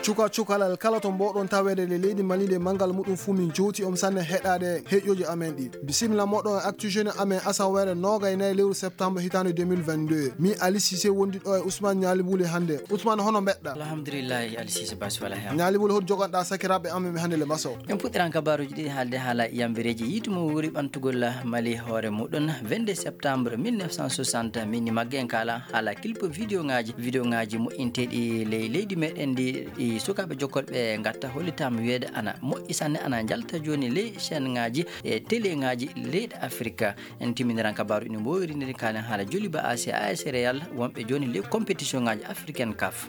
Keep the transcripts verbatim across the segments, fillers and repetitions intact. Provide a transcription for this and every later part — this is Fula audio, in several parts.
Cuka cukalal kala to mboɗon tawede le leydi Mali nde manngal muɗum fuu min jowti on sanne heɗaade heƴƴoji amen ɗi. Bisimilla moɗon e Actu Jeune amen asaweere noogay nayi lewru septembre hitaande deux mille vingt-deux. Mi Ali Cissé wondi ɗo e Ousmane Ñaali Buli hannde. Ousmane, hono mbeɗɗa? Alhamdulillahi, Ali Cissé Basi wala hen. Ñaali Buli, hoto joganɗa sakiraaɓe amen ɓe hannde le maso? En puɗɗiran kabaruuji ɗiɗi haalde haala yambireeji yiitu mo wuuri ɓantugol Mali hoore muɗum vingt-deux septembre mille neuf cent soixante. Min ni magge en kaala haala clip vidéo ngaji, vidéo ngaji moƴƴinteeɗi ley leydi meɗen ndi, ɗi sukaaɓe jokkolɓe ngatta hollitaama wiyeede ana moƴƴi sanne, ana njalta jooni ley chaîne ngaji e télé ngaji leyɗe Afrika. En timminiran kabaaru ina mbowirindiri kaalen haala Joliba A C A S Real wonɓe jooni ley compétition ngaji africaine CAF.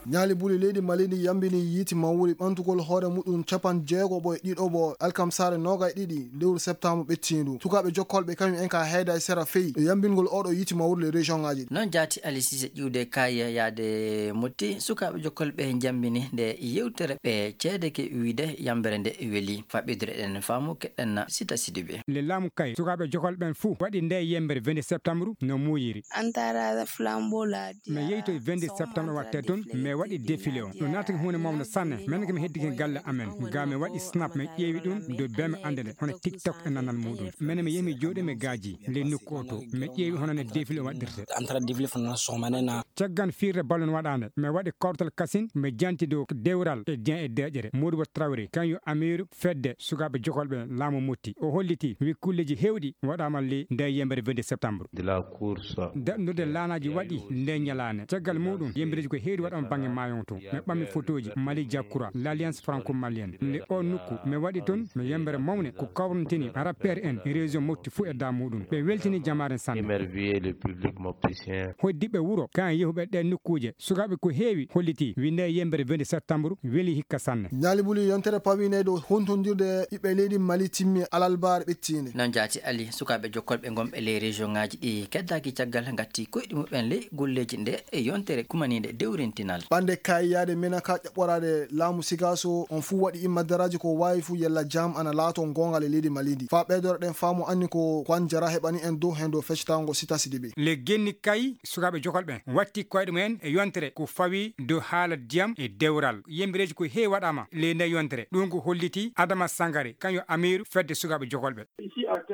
Ñaali Buli, leydi Mali ndi yambini yiiti mawri ɓantugol hoore muɗum capanɗe jeego ɓo e ɗiɗo ɓo alkamsaare noogay ɗiɗi lewru septembre ɓettiindu. Sukaaɓe jokkolɓe kañum en ka heeda e sera feyi e yambingol oɗo yiiti mawri le région ngaji. Noon jaati Ali Cissé ƴiwde kay yaade Motti, sukaaɓe jokkolɓe jambini nde yewtere ɓe ceede ke wiide yambere nde weli. Faɓɓidire ɗen faamu keɗen Sita Sidibe. Le laamu kay sukaaɓe jokol ɓen fuu waɗi nde yembere vingt septembre no muuyiri. Antara flambeau la. Mi yeyto e vingt septembre watte toon, mi waɗi défilé on. Ɗum naatake huunde mawno sanne. Min ko mi heddike galle amen. Ga mi waɗi snap, mi ƴeewi ɗum, do be mi annde nde, hono TikTok e nanal muɗum. Min mi yehi mi jooɗi mi gaaji, le nokku o to. Mi ƴeewi hono ne défilé waɗirte. Antara défilé fana sohmane na. Caggal firde ballon waɗaande, mi waɗi kawtal kasin, mi janti dow dewral e Dieng e deƴere. Modibo Traoré, kañum amiiru fedde sukaaɓe jokolɓe laamu Motti. O holliti, wi kulleji heewɗi waɗaama ley nde yembere vingt septembre. De la course. Daɗndude laanaaji waɗi nde ñalaande. Caggal muɗum, yembereji ko heewɗi waɗaama bannge maayo to. Mi ɓammi fotooji, Mali Jakura, l'Alliance Franco-Malienne. Nde o nokku, mi waɗi toon, mi yembere mawne, ko kawrantini rappeur en, région Motti fuu e da muɗum. Ɓe weltini jamaare sanne. Émerveillé le public mopticien. Hoɗdiɓe wuro, kan yehuɓe ɗe nokkuuje, sukaaɓe ko heewi holliti, wi nde yembere vingt septembre, weli hikka sanne. Ñaali Buli, yontere pawiinde dow hontondirde ɓiɓɓe leydi Mali timmi alalbaare ɓettiinde. Noon jaati Ali, sukaaɓe jokkolɓe gonɓe ley région ngaji ɗi keddaaki caggal ngatti koyɗi muɓɓen ley golleeji nde e yontere kumaniinde dewrintinal. Ɓande kayyaade menaka ƴaɓɓoraade laamu Sigaso on fuu waɗi immadaraaji ko waawi fuu yella jam ana laato goonga le leydi Mali ndi. Faa ɓeydore ɗen faamu anni ko Kwan Jara heɓani en dow hen dow feccatango Sita Sidibe. Le genni kay sukaaɓe jokol ɓen watti koyɗe mumen e yontere ko fawi dow haala diyam e dewral. Yembireeji ko heewi waɗaama ley nde yontere. Ɗum ko holliti Adama Sangare, kañum amiiru fedde sukaaɓe jokol ɓe.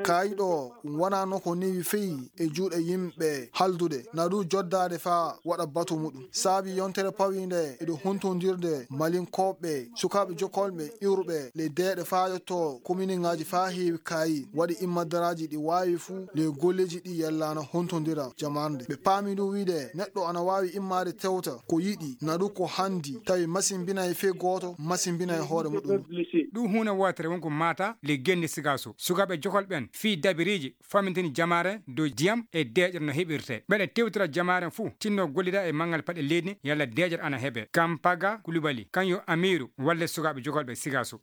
Kaayiɗo wonano ko newi feyi e juuɗe yimɓe haldude, na ɗum joddaade faa waɗa batu muɗum. Saabi yontere pawiinde e ɗo huntondirde Malinkoɓe, sukaaɓe jokkolɓe iwruɓe le deeɗe faa yotto kominiŋaaji faa heewi kaayi, waɗi immadaraaji ɗi waawi fuu le golleeji ɗi yellaana huntondira jamarnde. Ɓe paami ɗum wiide neɗɗo ana waawi immaade tewta ko yiɗi, na ɗum ko hanndi, tawi masimbinay fee gooto, masimbinay hoore muɗum. Ɗum huunde wootere won ko maata le genne Sigaso. Sukaaɓe jokol ɓen fii dabiriiji famintini jamaare dow diyam e deeƴere no heɓirte. Ɓeɗe tewtira jamaare fuu tinno gollida e manngal paɗe leydi yalla deeƴere ana heɓe. Kampaga Kulibali, kañum amiiru walle sukaaɓe jokol ɓe Sigaso.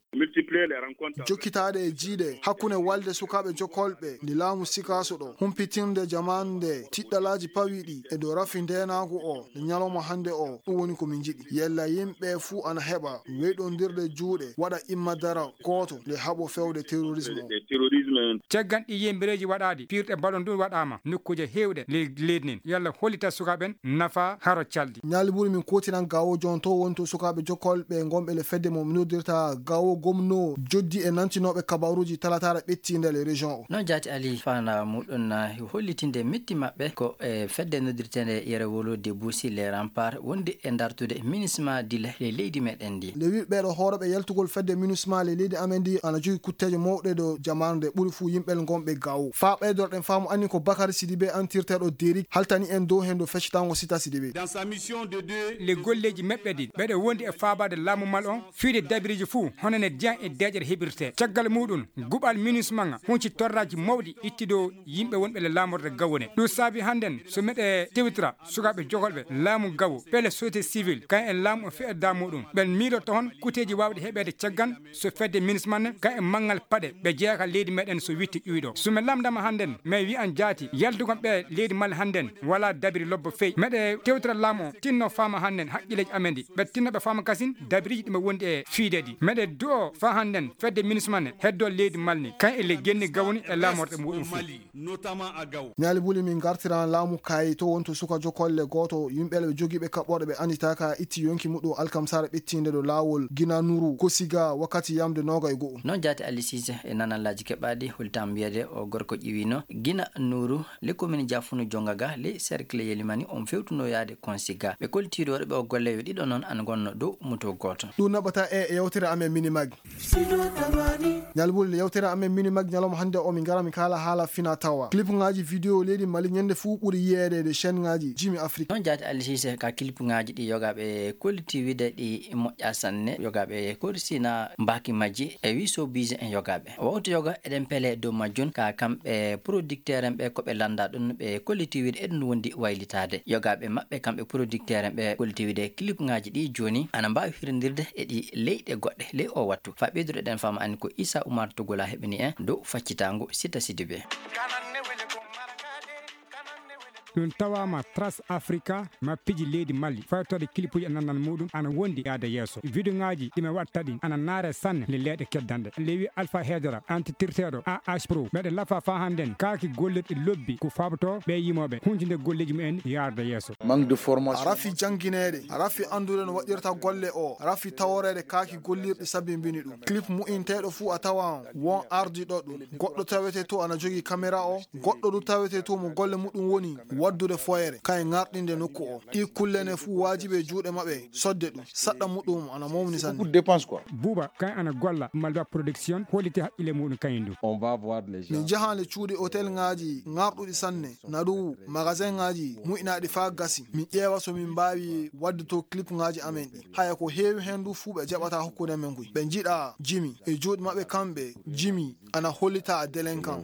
Jokkitaade e jiiɗe hakkunde walde sukaaɓe jokkolɓe nde laamu Sikaaso ɗo, humpitirde jamaande tiɗɗalaaji pawiiɗi e dow rafi ndeenaagu o nde ñalawma hannde o, ɗum woni ko min njiɗi. Yella yimɓe fuu ana heɓa weyɗondirde juuɗe, waɗa imma dara gooto nde haɓo fewde terrorisme o. Caggal ɗi yembereeji waɗaaɗi, piirɗe ballon ɗum waɗaama nokkuuje heewɗe ley leydi nin. Yalla hollita sukaaɓe en nafa haro calɗi. Ñaali ɓuri min kootiran gawo jon to woni to sukaaɓe jokkolɓe gonɓe le fedde mo noddirta gawo gomno joddi e nantinooɓe kabaruuji talataare ɓettiinde le région o. Noon jaati Ali fana muɗum na hollitinde metti maɓɓe ko e fedde noddirteende yere wolo de Busi le Rampar wonde e dartude minisma dila le leydi meɗen ndi. Nde wi ɓeɗo hooroɓe yaltugol fedde minisma le leydi amen ndi ana jogi kutteeje mawɗe ɗo jamaanu nde ɓuri fuu yimɓe gonɓe gawo. Faa ɓeydorɗen faamu anni ko Bakari Sidibe antirteeɗo Derik haltani en dow hen dow feccitango Sita Sidibe. Dans sa mission de deux. Le golleeji meɓɓe ɗi ɓeɗo wondi e faabaade laamu mal on fiide dabiriji fuu hono ne diyan e deeƴere heɓirte. Caggal muɗum, guɓal minisma nga hunci torraaji mawɗi itti dow yimɓe wonɓe le laamorde gawone. Ɗum saabi hannden so meɗe tewtira sukaaɓe jogolɓe laamu gawo, pele société civile, kan en laamu o fe'edda muɗum. Ɓen miiloto hon kuteeji waawɗi heɓeede caggal so fedde minisma ne, kan en manngal paɗe ɓe jeyaa ka leydi meɗen so witti ƴuyɗo. So mi lamndama hannden, mi wi'an jaati, yaltugol ɓe leydi Mali hannden, walaa dabiri lobbo fey. Meɗe tewtira laamu o, tinno faama hannden haqqileeji amen ɗi. Ɓe tinno ɓe faama kasin dabiriji ɗi ɓe wondi e fiide ɗi. Meɗe du'o faa Annden fedde minismane heddo leydi malni kan e le genni gawni e laamorɗe muɗum fu. Ñaali buli min gartiran laamu kayi to wonto suka jokolle gooto yimɓe ɓe jogiiɓe kaɓɓorɗe ɓe annditaaka itti yonki muɗum alkamsare ɓettinde ɗo laawol gina nuru kosiga wakkati yamde noogay go'o. Noon jaati Ali Sise e nanallaaji keɓaaɗi, hultaama wiyeede o gorko ƴiwino gina nuru le commune jafunu jonga ga le cercle yelimani on fewtuno yaade konsiga ɓe koltiiɗo waɗuɓe o golle yo ɗiɗo noon an gonno dow muto gooto. Ɗum naɓata e yewtere amen minimag. Ñalbuli yewtere amen minimag ñalawma hannde o min ngara min kaala haala fina tawa clip ngaji vidéo leydi mali ñande fuu ɓuri yiyeede e chaîne ngaji jimi afrique. Noon jaati Ali Sise ka clip ngaji ɗi yogaaɓe kollitiwide ɗi moƴƴa sanne yogaaɓe korsina mbaaki majji e wi sobise en yogaaɓe wawto yoga eɗen pele dow majjun ka kamɓe producteur en ɓe ko ɓe lannda ɗum ɓe kollitiwide eɗum wondi waylitaade yogaaɓe maɓɓe kamɓe producteur en ɓe kollitiwide clip ngaji ɗi jooni ana mbaawi hirndirde e ɗi leyɗe goɗɗe ley o wattu. Fa ɓeyduɗo ɗen fama ani ko Issa Oumar Togola heɓini en dow faccitaango Sita Sidibe. Ɗum tawaama Trans Africa mappiji leydi Mali faytorde kilipuji e nannan muɗum ana wondi yaade yeeso. Video ngaji ɗi mi watta ɗin ana naare sanne le leeɗe keddanɗe. Lewi Alpha Hedera antitirteɗo A H Pro meɗe lafa fa hannden kaaki gollirɗi lobbi ko faboto ɓe yimoɓe huntinde golleji mumen yaarde yeeso. Manque de formation. Rafi janngineede, rafi anndude no waɗirta golle o, rafi taworeede kaaki gollirɗi sabimbini ɗum. Clip mu'inteeɗo fuu a tawan won ardiɗo ɗum. Goɗɗo tawete to ana jogii kamera o, goɗɗo du tawete to mo golle muɗum woni waddude foyre, kay ŋarɗinde nokku o. Ɗi kulle ne fuu waajibe juuɗe maɓɓe sodde ɗum. Saɗɗa muɗum ana mawni sanne. Beaucoup de dépenses quoi. Buuba kan ana golla Malba Production holliti haqqille muɗum kañum du. On va voir les gens. Min njahan le cuuɗi hôtel ŋaaji ŋarɗuɗi sanne, naɗu magasin ŋaaji mu'inaaɗi faa gasi. Min ƴeewa so min mbaawi wadde to clip ŋaaji amen ɗi. Haya ko heewi heen du fuu ɓe jaɓata hokkude men kuy. Ɓe njiɗa jimi e juuɗe maɓɓe kamɓe jimi ana hollita a délinquant.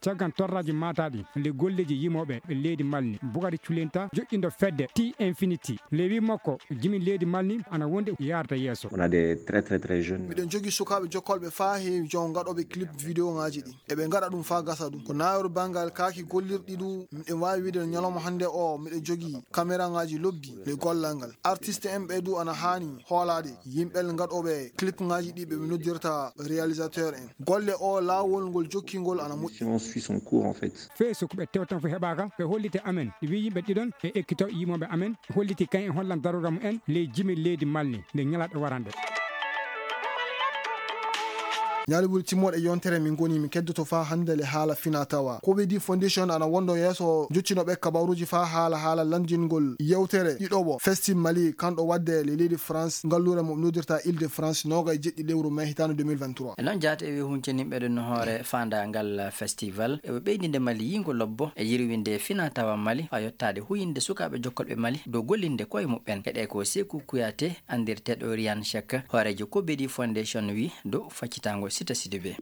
Caggan torraji mataɗi le golleji yimoɓe leydi malni bugari culinta joƴƴindo fedde ti infinity le wi makko jimi leydi malni ana wonde yarda yeeso. On a des très très très jeunes. Miɗen jogi sukaaɓe jokkolɓe faa heewi jon gaɗoɓe clip vidéo ŋaaji ɗi eɓe gaɗa ɗum faa gasa ɗum ko naawru banngal kaaki gollirɗi du miɗen waawi wiide no ñalawma hannde o miɗen jogi kamera ŋaaji lobbi le gollal ngal artiste en ɓe du ana haani hoolaade yimɓe gaɗoɓe clip ŋaaji ɗi ɓe ɓe noddirta réalisateur en golle o laawol ngol jokkingol ana moƴƴi. Science suit son cours en fait. Fee so ko ɓe tewtan fof heɓaaka ɓe holliti amen wi yimɓe ɗiɗon e ekkito yimoɓe amen holliti kañ e hollan daroga mum en ley jimi leydi malni nde ñalaɗo waranɗe. Ñaali ɓuri timmoɗe yontere min goni min keddoto faa hannde le haala fina tawa kobedi foundation ana wondo yeeso joccinoɓe kabaruji faa haala haala lanndingol yewtere ɗiɗoɓo festi mali kanɗo wadde le leydi france ngallure mo noddirta ile de france noga e jeɗɗi lewru mai hitande deux mille vingt-trois. E noon jaata e wi huncaniɓe ɗum no hoore faandaangal festival eɓe ɓeydinde mali yiygo lobbo e yirwinde fina tawa mali faa yottaade huyinde sukaaɓe jokkolɓe mali dow gollinde koye muɓɓen heɗe ko seku kuyate anndirteeɗo riyan chek hooreejo kobedi foundation wi dow faccitaango sita sidibe.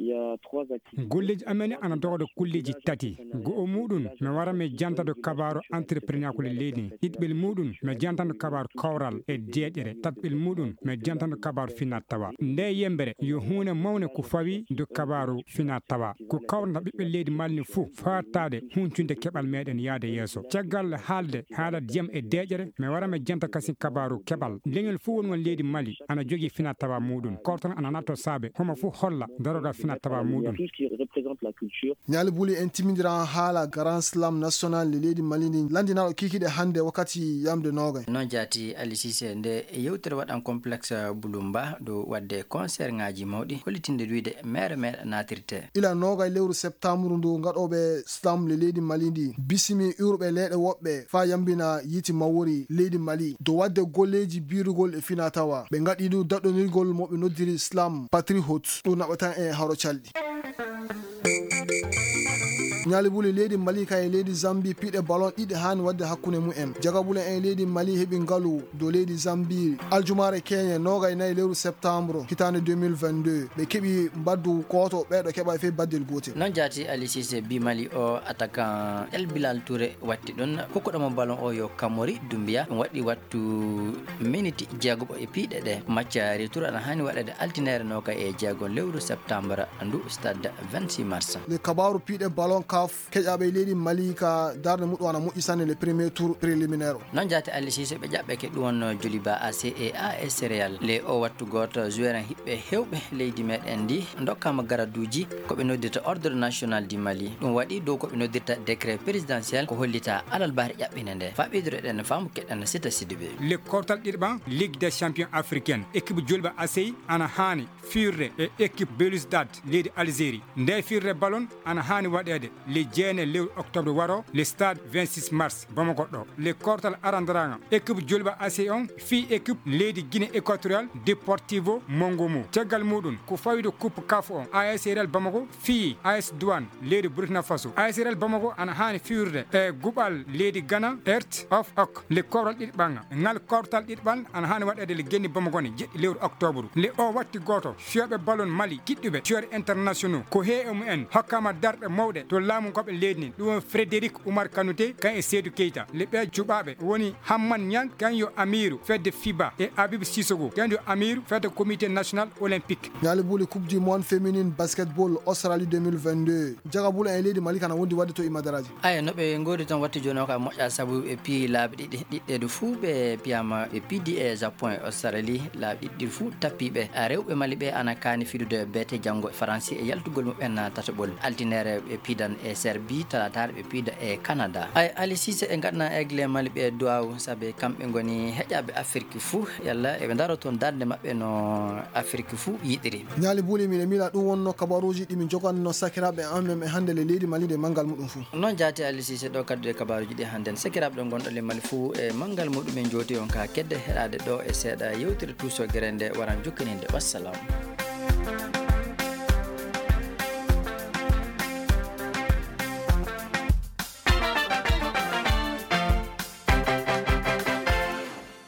Golleeji amen ana dogda kulleeji tati. Go'o muɗum mi wara mi jantado kabaaru entrepreneur ko leydi ndi. Ɗiɗɓel muɗum mi jantando kabaaru kawral e deeƴere. Tatɓel muɗum mi jantando kabaaru finat tawa. Nde yembere yo huunde mawne ko fawi do kabaaru finat tawa ko kawrata ɓiɓɓe leydi malni fuu faataade huncunde keɓal meɗen yaade yeeso. Caggal haalde haala diyam e deeƴere mi wara mi janta kasin kabaaru keɓal leñol fuu won won leydi mali ana jogii finat tawa muɗum kawtal ana natto saabe homo fuu holla darogal finat tawa muɗum. Ñaali buli en timmindiran haala grand slam national le leydi mali ndi lanndinaaɗo kiikiiɗe hannde wakkati yamde noogay. Noon jaati Ali Sise nde yewtere waɗan complexe bulumba dow waɗde concert ngaji mawɗi hollitinde wiide mere mere naatirte. Ila noogay lewru septembre ndu gaɗoɓe slam le leydi mali ndi bisimi urɓe leyɗe woɓɓe faa yambina yiiti mawori leydi mali dow waɗde golleeji biirugol e fina tawa ɓe ngaɗi ɗum daɗɗonirgol mo ɓe noddiri slam patrihot ɗum naɓatan e haro calɗi. Ñaali buli leydi mali kay e leydi zambi piɗe ballon ɗiɗi haani waɗde hakkunde mumen jagabule en leydi mali heɓi ngalu dow leydi zambi aljumaare keñe noogay nayi lewru septembre hitaande deux mille vingt-deux ɓe keɓi mbaddu kooto ɓeeɗo keɓa fey baddel gootel. Noon jaati Ali Sise bi mali o attaquant El Bilal Touré watti ɗum kokkuɗomo ballon o yo kamori dumbiya ɗum waɗɗi wattu miniti jeegoɓo e piiɗe ɗe macca retour ana haani waɗede altineere noka e jeego lewru septembre ndu stade vingt-six mars. Le kabaaru piiɗe ballon kaf keƴaɓe leydi Mali ka darde muɗum ana moƴƴi sanne le premier tour préliminaire o. Noon jaati Aliou Cissé ɓe ƴaɓɓeke ɗum wonno Joliba A C et A S Real. Le o wattu gooto joueur en hiɓɓe hewɓe leydi meɗen ndi dokkama garaduuji ko ɓe noddirta Ordre National du Mali. Ɗum waɗi dow ko ɓe noddirta décret présidentiel ko hollita alalbaare ƴaɓɓinde nde. Faɓidoro eɗen faamu keɗen sita Sidibé. Le kortal ɗiɗɓan Ligue des Champions Africaine, équipe Joliba A C ana haani fiirde e équipe Belouizdad leydi Algérie. Nde fiirde ballon ana haani waɗeede le jeene lewru octobre waro le stade vingt-six mars Bamako ɗo. Le kortal arandaranga équipe Joliba A C on fii équipe leydi Guinée équatoriale Deportivo Mongomo. Caggal muɗum ko fawido coupe kaf on A S Real Bamako fii A S Douane leydi Burkina Faso. A S Real Bamako ana haani fiirde e guɓal leydi Ghana Hearts of Oak. Le kortal ɗiɗɓan ngal kortal ɗiɗɓan ana haani waɗeede le genni Bamako ne jeɗɗi lewru octobre. Le o watti gooto fiyooɓe ballon Mali kiɗɗuɓe joueur internationaux ko he e mumen hokkama darɗe mawɗe to laamu ngoɓe leydi nin. Ɗum woni Frédéric Oumar Kanouté kan e Seydou Keita. Le ɓe cuɓaɓe woni Hamman Niang kan yo amiru fedde fiba e Habib Sissoko kan yo amiru fedde comité national olympique. Ñaali buuli Coupe du Monde féminine basketball Australie deux mille vingt-deux. Jagabula e leydi Mali kana wondi wadde to Imadaraji. Aya, no ɓe ngoodi toon watti jooni o ka moƴƴa sabu ɓe piyi laabi ɗiɗi, ɗiɗɗe du fuu ɓe piyama ɓe pidi e Japon e Australie laabi ɗiɗɗi fuu tappiɓe. A rewɓe Mali ɓe ana kaani fidude beete janngo e Faransi e yaltugol mumen tataɓol. Altinere ɓe pidan e Serbie, talataare ɓe pida e Canada. Ay, Ali Cissé e ngaɗna aigle Mali ɓe duwaw sabe kamɓe ngoni heƴaɓe Afirki fuu. Yalla eɓe ndaro toon darnde maɓɓe no Afirki fuu yiɗiri. Ñaali buuli miɗe miila ɗum wonno kabaruuji ɗi min joganno sakiraaɓe amen e hannde le leydi Mali nde manngal muɗum fuu. Noon jaati Ali Cissé ɗo kaddude kabaruuji ɗi hannden. Sakiraaɓe ɗo ngonɗo le Mali fuu e manngal muɗum en jooti on ka kedde heɗaade ɗo e seeɗa yewtere tuusogere nde waran jokkininde. Wassalam.